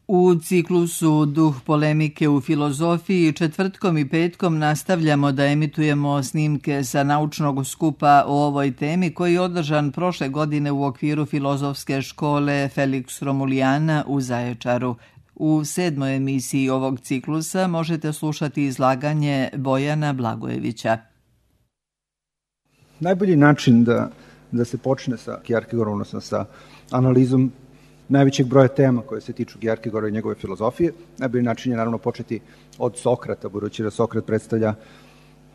U ciklusu Duh polemike u filozofiji četvrtkom i petkom nastavljamo da emitujemo snimke sa naučnog skupa o ovoj temi koji je održan prošle godine u okviru filozofske škole Felix Romulijana u Zaječaru. U 7. emisiji ovog ciklusa možete slušati izlaganje Bojana Blagojevića. Najbolji način da se počne sa Kierkegaardom, odnosno sa analizom najvećeg broja tema koje se tiču Kierkegaarda i njegove filozofije. Najbolji način je naravno početi od Sokrata, budući da Sokrat predstavlja,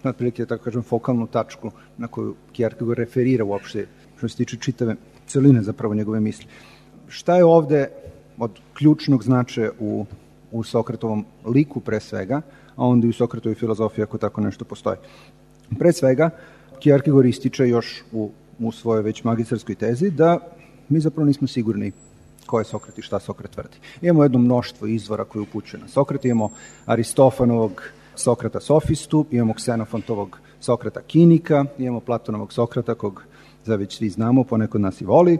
otprilike, tako kažem, fokalnu tačku na koju Kierkegaard referira uopšte, što se tiče čitave celine zapravo njegove misli. Šta je ovde od ključnog značaja u Sokratovom liku pre svega, a onda i u Sokratovoj filozofiji ako tako nešto postoji? Pre svega, Kierkegaard ističe još u svojoj već magistarskoj tezi da mi zapravo nismo sigurni ko je Sokrat i šta Sokrat tvrdi. Imamo jedno mnoštvo izvora koje upućuje na Sokrata, imamo Aristofanovog Sokrata sofistu, imamo Ksenofontovog Sokrata kinika, imamo Platonovog Sokrata, kog za već svi znamo, poneko od nas i voli,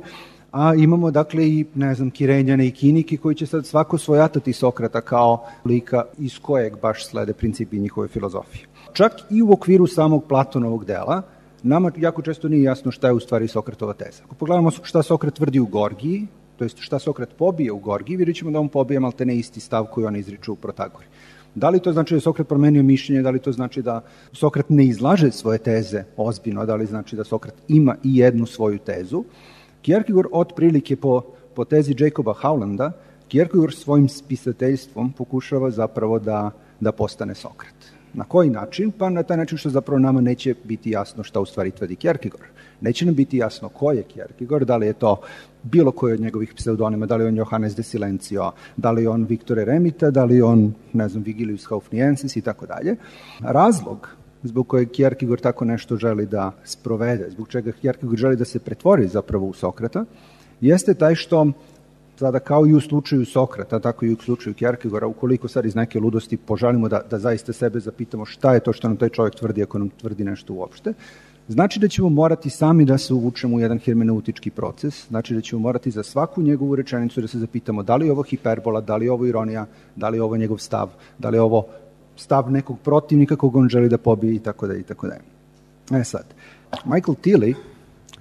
a imamo dakle i, Kirenjane i Kinike koji će sad svako svojatati Sokrata kao lika iz kojeg baš slede principi njihove filozofije. Čak i u okviru samog Platonovog dela, nama jako često nije jasno šta je u stvari Sokratova teza. Ako pogledamo šta Sokrat tvrdi u Gorgiji, to jest šta Sokrat pobije u Gorgiji, vidjet ćemo da on pobije maltene isti stav koji on izriče u Protagori. Da li to znači da je Sokrat promenio mišljenje, da li to znači da Sokrat ne izlaže svoje teze ozbiljno, da li znači da Sokrat ima i jednu svoju tezu? Kierkegaard otprilike po tezi Jacoba Howlanda, Kierkegaard svojim spisateljstvom pokušava zapravo da postane Sokrat. Na koji način? Pa na taj način što zapravo nama neće biti jasno šta u stvari tvrdi Kierkegaard. Neće nam biti jasno ko je Kierkegaard, da li je to bilo koji od njegovih pseudonima, da li je on Johannes de Silencio, da li je on Victor Eremita, da li je on, Vigilius Haufniensis i tako dalje. Razlog zbog kojeg Kierkegaard tako nešto želi da sprovede, zbog čega Kierkegaard želi da se pretvori zapravo u Sokrata, jeste taj što sada kao i u slučaju Sokrata, tako i u slučaju Kierkegaarda, ukoliko sad iz neke ludosti poželimo da zaista sebe zapitamo šta je to što nam taj čovjek tvrdi ako nam tvrdi nešto uopšte, znači da ćemo morati sami da se uvučemo u jedan hermeneutički proces, znači da ćemo morati za svaku njegovu rečenicu da se zapitamo da li je ovo hiperbola, da li je ovo ironija, da li je ovo njegov stav, da li je ovo stav nekog protivnika kog on želi da pobije i tako dalje i tako dalje. Sad, Michael Tilly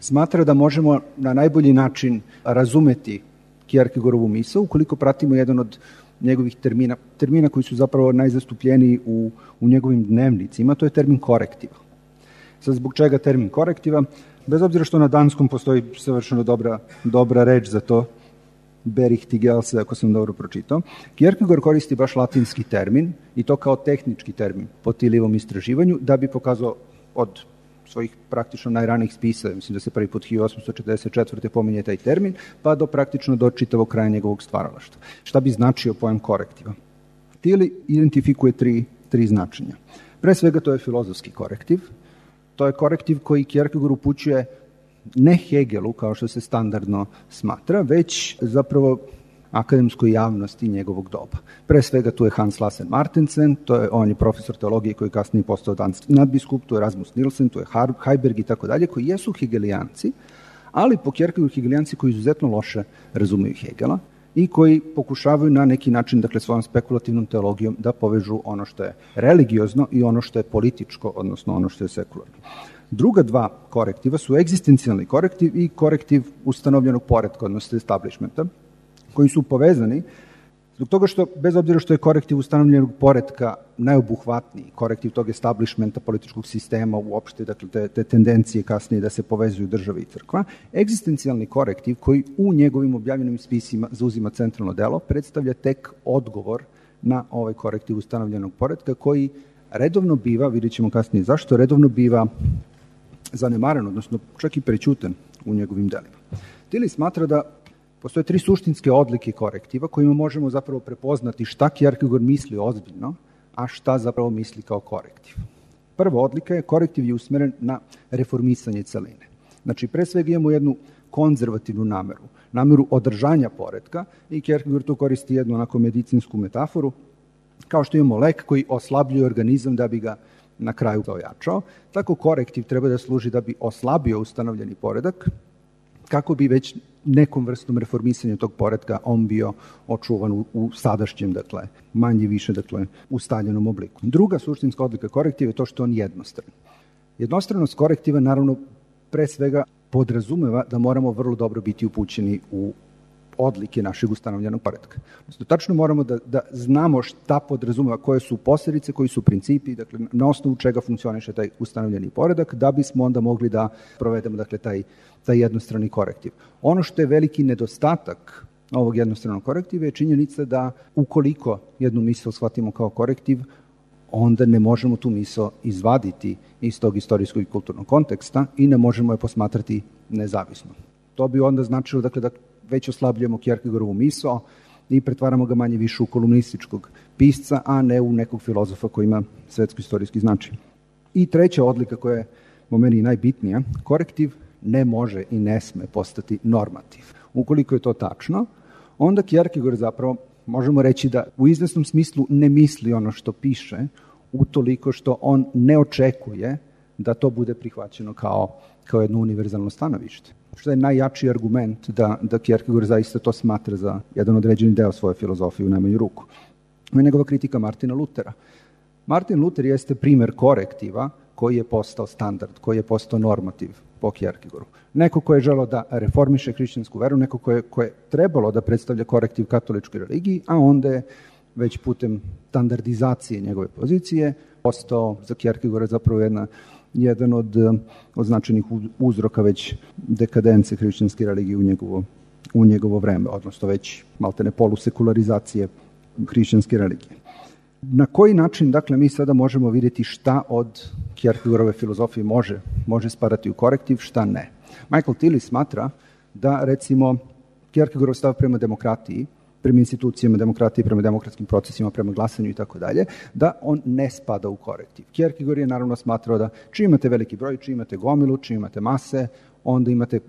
smatra da možemo na najbolji način razumeti Kierkegaardovu misao ukoliko pratimo jedan od njegovih termina koji su zapravo najzastupljeniji u njegovim dnevnicima, to je termin korektiva. Sad, zbog čega termin korektiva? Bez obzira što na danskom postoji savršeno dobra reč za to, berichtigelse, ako sam dobro pročitao, Kierkegaard koristi baš latinski termin i to kao tehnički termin po Tillijevom istraživanju da bi pokazao od svojih praktično najranijih spisa, mislim da se prvi put 1844. pominje taj termin, pa do čitavog kraja njegovog stvaralaštva. Šta bi značio pojam korektiva? Tilly identifikuje tri značenja. Pre svega to je filozofski korektiv, to je korektiv koji Kierkegaard upućuje ne Hegelu, kao što se standardno smatra, već zapravo akademskoj javnosti njegovog doba. Pre svega tu je Hans Lassen Martensen, on je profesor teologije koji kasnije postao danski nadbiskup, tu je Rasmus Nielsen, tu je Heiberg i tako dalje, koji jesu hegelijanci, ali po Kierkegaardu hegelijanci koji izuzetno loše razumeju Hegela i koji pokušavaju na neki način, dakle svojom spekulativnom teologijom, da povežu ono što je religiozno i ono što je političko, odnosno ono što je sekularno. Druga dva korektiva su egzistencijalni korektiv i korektiv ustanovljenog poretka, odnosno establishmenta, koji su povezani zbog toga što, bez obzira što je korektiv ustanovljenog poretka najobuhvatniji, korektiv tog establishmenta političkog sistema uopšte, dakle te tendencije kasnije da se povezuju država i crkva, egzistencijalni korektiv koji u njegovim objavljenim spisima zauzima centralno delo, predstavlja tek odgovor na ovaj korektiv ustanovljenog poretka koji redovno biva, vidjet ćemo kasnije zašto, redovno biva zanemaren, odnosno čak i prećutan u njegovim delima. Tilly smatra da postoje tri suštinske odlike korektiva kojima možemo zapravo prepoznati šta Kierkegaard misli ozbiljno, a šta zapravo misli kao korektiv. Prva odlika je korektiv je usmeren na reformisanje celine. Znači, pre svega imamo jednu konzervativnu nameru održanja poretka i Kierkegaard tu koristi jednu onako medicinsku metaforu, kao što imamo lek koji oslabljuje organizam da bi ga na kraju ojačao, tako korektiv treba da služi da bi oslabio ustanovljeni poredak, kako bi već nekom vrstom reformisanja tog poretka on bio očuvan u sadašnjem, dakle, manje više, dakle, ustaljenom obliku. Druga suštinska odlika korektiva je to što on jednostran. Jednostranost korektiva, naravno, pre svega podrazumeva da moramo vrlo dobro biti upućeni u odlike našeg ustanovljenog poretka. Tačno moramo da znamo šta podrazumeva, koje su posledice, koji su principi, dakle, na osnovu čega funkcioniše taj ustanovljeni poredak, da bismo onda mogli da provedemo, dakle, taj jednostrani korektiv. Ono što je veliki nedostatak ovog jednostranog korektiva je činjenica da ukoliko jednu misao shvatimo kao korektiv, onda ne možemo tu misao izvaditi iz tog istorijskog i kulturnog konteksta i ne možemo je posmatrati nezavisno. To bi onda značilo, dakle, da već oslabljujemo Kierkegaardovu misao i pretvaramo ga manje više u kolumnističkog pisca, a ne u nekog filozofa koji ima svetsko-istorijski značaj. I treća odlika koja je po meni najbitnija, korektiv ne može i ne sme postati normativ. Ukoliko je to tačno, onda Kierkegaard zapravo možemo reći da u izvesnom smislu ne misli ono što piše, utoliko što on ne očekuje da to bude prihvaćeno kao jedno univerzalno stanovište. Što je najjači argument da Kierkegaard zaista to smatra za jedan određeni deo svoje filozofije u najmanju ruku. Ovo je njegova kritika Martina Lutera. Martin Luther jeste primer korektiva koji je postao standard, koji je postao normativ po Kierkegaardu. Neko ko je želeo da reformiše hrišćansku veru, neko ko je trebalo da predstavlja korektiv katoličkoj religiji, a onda je već putem standardizacije njegove pozicije postao za Kierkegaarda zapravo jedan od značajnih uzroka već dekadence hrišćanske religije u njegovo vreme, odnosno već maltene polusekularizacije hrišćanske religije. Na koji način, dakle, mi sada možemo vidjeti šta od Kierkegaardove filozofije može spadati u korektiv, šta ne. Michael Tilly smatra da, recimo, Kierkegaardov stav prema demokratiji, prema institucijama demokratije, prema demokratskim procesima, prema glasanju i tako dalje, da on ne spada u korektiv. Kierkegaard je naravno smatrao da čim imate veliki broj, čim imate gomilu, čim imate mase, onda imate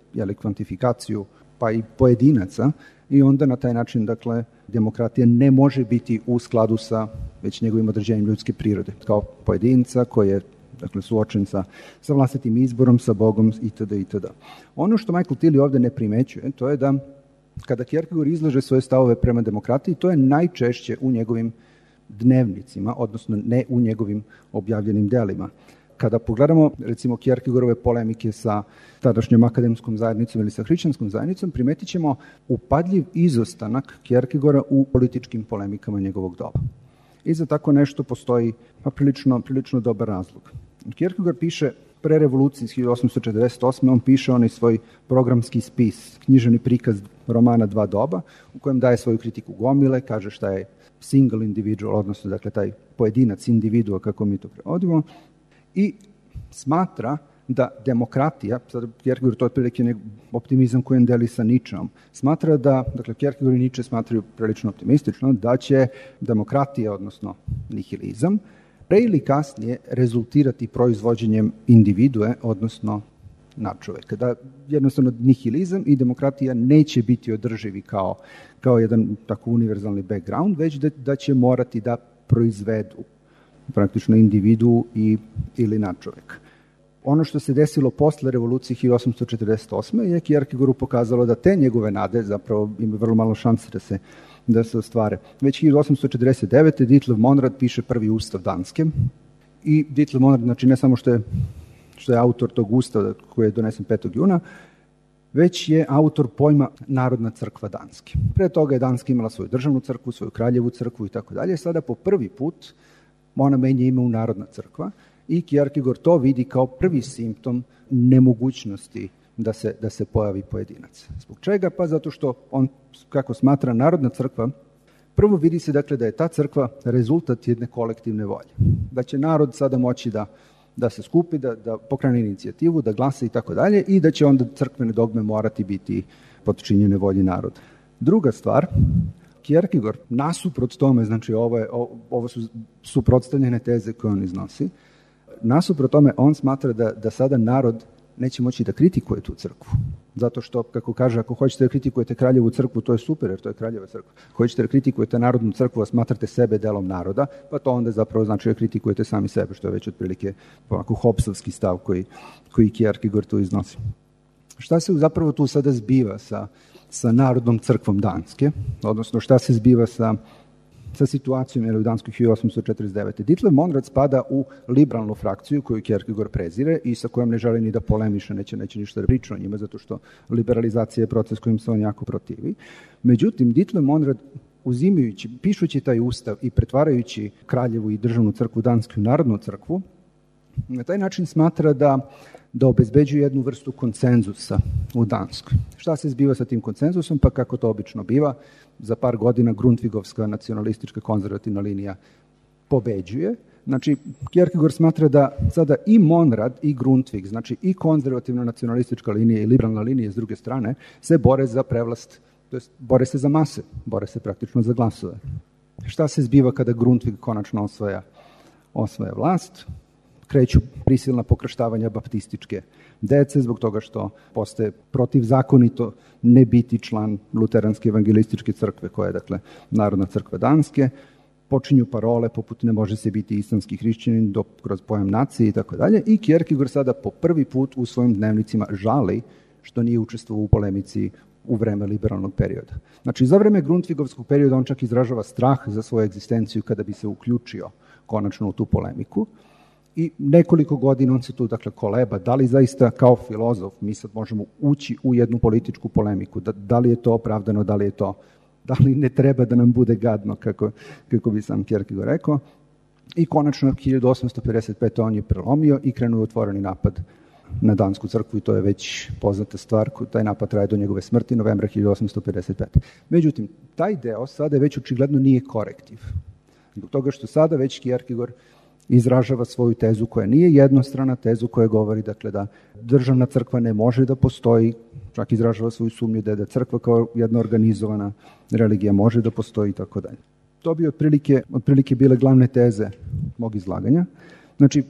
kvantifikaciju pa i pojedinaca i onda na taj način, dakle, demokratija ne može biti u skladu sa već njegovim određenjem ljudske prirode, kao pojedinca koji je, dakle, suočen sa vlastitim izborom, sa Bogom itd. itd. Ono što Michael Tilly ovde ne primećuje, to je da kada Kierkegaard izlaže svoje stavove prema demokratiji, to je najčešće u njegovim dnevnicima, odnosno ne u njegovim objavljenim delima. Kada pogledamo, recimo, Kierkegaardove polemike sa tadašnjom akademskom zajednicom ili sa hrišćanskom zajednicom, primetit ćemo upadljiv izostanak Kierkegaarda u političkim polemikama njegovog doba. I za tako nešto postoji prilično dobar razlog. Kierkegaard piše pre revolucije iz 1848. On piše onaj svoj programski spis, književni prikaz romana Dva doba, u kojem daje svoju kritiku gomile, kaže šta je single individual, odnosno, dakle, taj pojedinac, individua, kako mi to prevodimo, i smatra da demokratija, sad Kierkegaard to je otprilike optimizam koji on deli sa Ničom, smatra da, dakle, Kierkegaard i Niče smatraju prilično optimistično, da će demokratija, odnosno nihilizam, pre ili kasnije rezultirati proizvođenjem individue, odnosno nadčoveka. Da jednostavno nihilizam i demokratija neće biti održivi kao jedan tako univerzalni background, već da će morati da proizvedu praktično individu ili nadčoveka. Ono što se desilo posle revolucije 1848. je Kierkegaardu pokazalo da te njegove nade zapravo ima vrlo malo šanse da se ostvare. Već 1849. Ditlev Monrad piše prvi ustav Danske i Ditlev Monrad, znači, ne samo što je autor tog ustava koji je donesen 5. juna, već je autor pojma Narodna crkva Danske. Pre toga je Danska imala svoju državnu crkvu, svoju kraljevu crkvu i tako dalje. Sada po prvi put ona menja ime u Narodna crkva i Kierkegaard to vidi kao prvi simptom nemogućnosti da se pojavi pojedinac. Zbog čega? Pa zato što on, kako smatra, Narodna crkva, prvo vidi se, dakle, da je ta crkva rezultat jedne kolektivne volje. Da će narod sada moći da se skupi, da pokrene inicijativu, da glasa i tako dalje i da će onda crkvene dogme morati biti potčinjene volji naroda. Druga stvar, Kierkegaard, nasuprot tome, znači ovo su suprotstavljene teze koje on iznosi, nasuprot tome on smatra da sada narod neće moći da kritikuje tu crkvu. Zato što, kako kaže, ako hoćete da kritikujete kraljevu crkvu, to je super, jer to je kraljeva crkva. Ako hoćete da kritikujete narodnu crkvu, a smatrate sebe delom naroda, pa to onda zapravo znači da kritikujete sami sebe, što je već otprilike onako Hobbesovski stav koji Kierkegaard tu iznosi. Šta se zapravo tu sada zbiva sa Narodnom crkvom Danske, odnosno šta se zbiva sa situacijom u Danskoj 1849. Ditlev Monrad spada u liberalnu frakciju koju Kierkegaard prezire i sa kojom ne želi ni da polemiše, neće ništa da priča o njima, zato što liberalizacija je proces kojim se on jako protivi. Međutim, Ditlev Monrad, pišući taj ustav i pretvarajući Kraljevu i državnu crkvu Dansku u Narodnu crkvu, na taj način smatra da obezbeđuje jednu vrstu konsenzusa u Danskoj. Šta se zbiva sa tim konsenzusom? Pa kako to obično biva, za par godina Grundtvigovska nacionalistička konzervativna linija pobeđuje. Znači, Kierkegaard smatra da sada i Monrad i Grundtvig, znači i konzervativna nacionalistička linija i liberalna linija s druge strane, se bore za prevlast, to jest bore se za mase, bore se praktično za glasove. Šta se zbiva kada Grundtvig konačno osvaja vlast? Kreću prisilna pokrštavanja baptističke dece zbog toga što postaje protivzakonito ne biti član Luteranske evangelističke crkve, koja je, dakle, Narodna crkva Danske. Počinju parole poput ne može se biti islamski hrišćanin kroz pojam nacije i tako dalje. I Kierkegaard sada po prvi put u svojim dnevnicima žali što nije učestvovao u polemici u vreme liberalnog perioda. Znači, za vreme Grundtvigovskog perioda on čak izražava strah za svoju egzistenciju kada bi se uključio konačno u tu polemiku. I nekoliko godina on se tu, dakle, koleba, da li zaista kao filozof mi sad možemo ući u jednu političku polemiku, da li je to opravdano, da li ne treba da nam bude gadno, kako bi sam Kierkegaard rekao. I konačno 1855. on je prelomio i krenuo otvoreni napad na Dansku crkvu i to je već poznata stvar, taj napad traje do njegove smrti novembra 1855. Međutim, taj deo sada već očigledno nije korektiv. Zbog toga što sada već Kierkegaard izražava svoju tezu koja nije jednostrana, tezu koja govori, dakle, da državna crkva ne može da postoji, čak izražava svoju sumnju da crkva kao jedna organizovana religija može da postoji i tako dalje. To bi otprilike bile glavne teze mog izlaganja. Znači,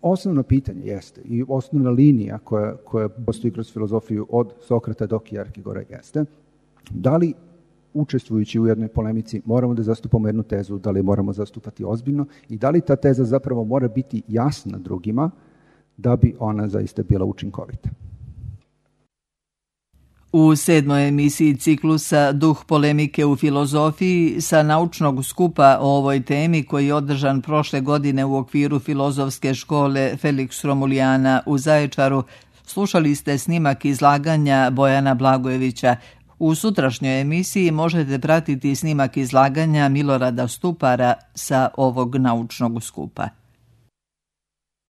osnovno pitanje jeste i osnovna linija koja postoji kroz filozofiju od Sokrata do Kierkegaarda jeste da li učestvujući u jednoj polemici moramo da zastupamo jednu tezu, da li moramo zastupati ozbiljno i da li ta teza zapravo mora biti jasna drugima da bi ona zaista bila učinkovita. U 7. emisiji ciklusa Duh polemike u filozofiji sa naučnog skupa o ovoj temi koji je održan prošle godine u okviru filozofske škole Felix Romulijana u Zaječaru, slušali ste snimak izlaganja Bojana Blagojevića. U sutrašnjoj emisiji možete pratiti snimak izlaganja Milorada Stupara sa ovog naučnog skupa.